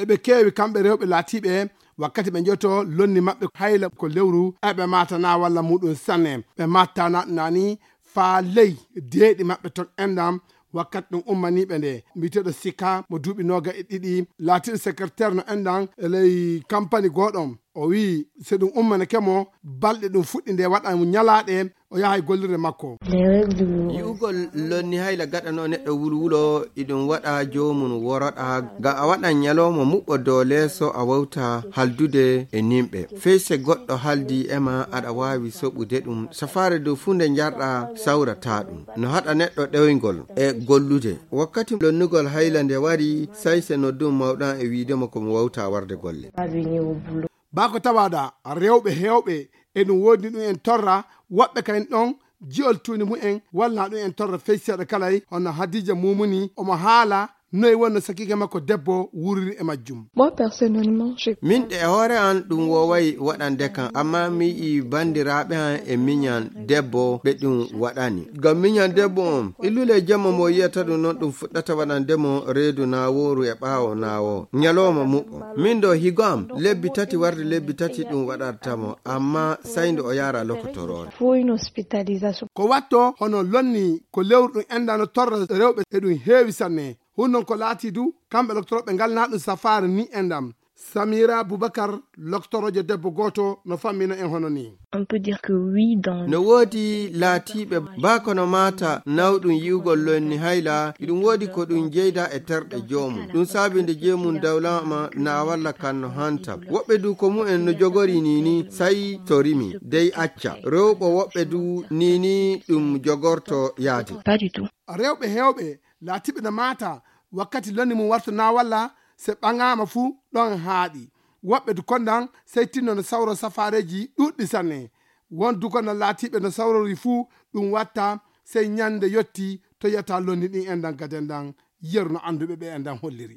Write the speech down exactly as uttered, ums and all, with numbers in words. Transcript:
Eɓe keewi kamɓe rewɓe laatiiɓe wakkati ɓe njoto lonni maɓɓe hayla ko lewru, eɓe maata na walla muɗum sanne. Ɓe matta na ɗum nani faa ley deeɗi maɓɓe ton enɗam. Wakkati ɗum ummaniiɓe nde, mbiyeteeɗo Sika mo duuɓi nooga e ɗiɗi, laatiiɗo secrétaire no enɗam e ley kampani gooɗon. O wi'i, so ɗum ummanake mo, balɗe ɗum fuɗɗi nde waɗa mo ñalaaɗe, o yaha e gollirde makko. Yi'ugol lonni hayla gaɗanoo neɗɗo wulwulo, iɗum waɗa joomum woroɗa, ga a waɗan ñalooma muɓɓo dow leeso a wawta haldude e nimɓe. Fey se goɗɗo haldi e ma aɗa waawi soɓude ɗum. Safaare dow fuu nde njarɗa sawrata ɗum. No haɗa neɗɗo ɗewngol e gollude. Wakkati lonnugol hayla nde wari, say se noddum mawɗan e wiide mo ko mo wawta warde golle. Baa ko tawaɗa rewɓe heewɓe e ɗum woodi ɗum en torra, woɓɓe kay ɗon ji'ol tuuni mumen walla ɗum en torra fey seeɗa kalay, hono Hadiija Mumuni, omo haala noy wonno sakiike makko debbo wuriri e majjum. Moi, personnellement, je Min ɗe e hoore an ɗum wooway waɗande kan, amma mi yi'i banndiraaɓe an e miñan debbo ɓe ɗum waɗani. Ngam miñan debbo on, illule jemma mo yi'ata ɗum non ɗum fuɗɗata waɗande mo reedu naawooru e ɓaawo naawo. Ñalooma muɓɓo. Min ɗo higo am, lebbi tati warde lebbi tati ɗum waɗarta mo, amma say nde o yaara lokotoroore. Faut une hospitalisation. Ko watto hono lonni ko lewru ɗum enɗam no torra rewɓe e ɗum heewi sanne. Hun non ko laati du, kamɓe loktorooɓe ngal na ɗum safaare ni enɗam. Samira Bubakar, loktoroojo debbo gooto, no fammina en hono ni. On peut dire que oui, dans No woodi laatiiɓe baa ko no maata nawɗum yi'ugol lonni hayla, iɗum woodi ko ɗum jeyda e terɗe joomum. Ɗum saabi nde jeemum dawlaama na walla kan no hanta. Woɓɓe du ko mumen no jogori ni ni, say to rimi, dey acca. Rewɓe woɓɓe du ni ni ɗum jogorto yaade. Pas du tout. Rewɓe heewɓe laatiiɓe no maata wakkati lonni mum warto na walla se ɓaŋaama fuu ɗon haaɗi. Woɓɓe du kondan sey tinno no sawro safaareeji ɗuuɗɗi sanne. Won du kondan laatiiɓe no sawrori fuu ɗum watta sey ñande yotti to yiyata lonni ɗin enɗan gaden ɗan yeru no annduɓe ɓe enɗan holliri.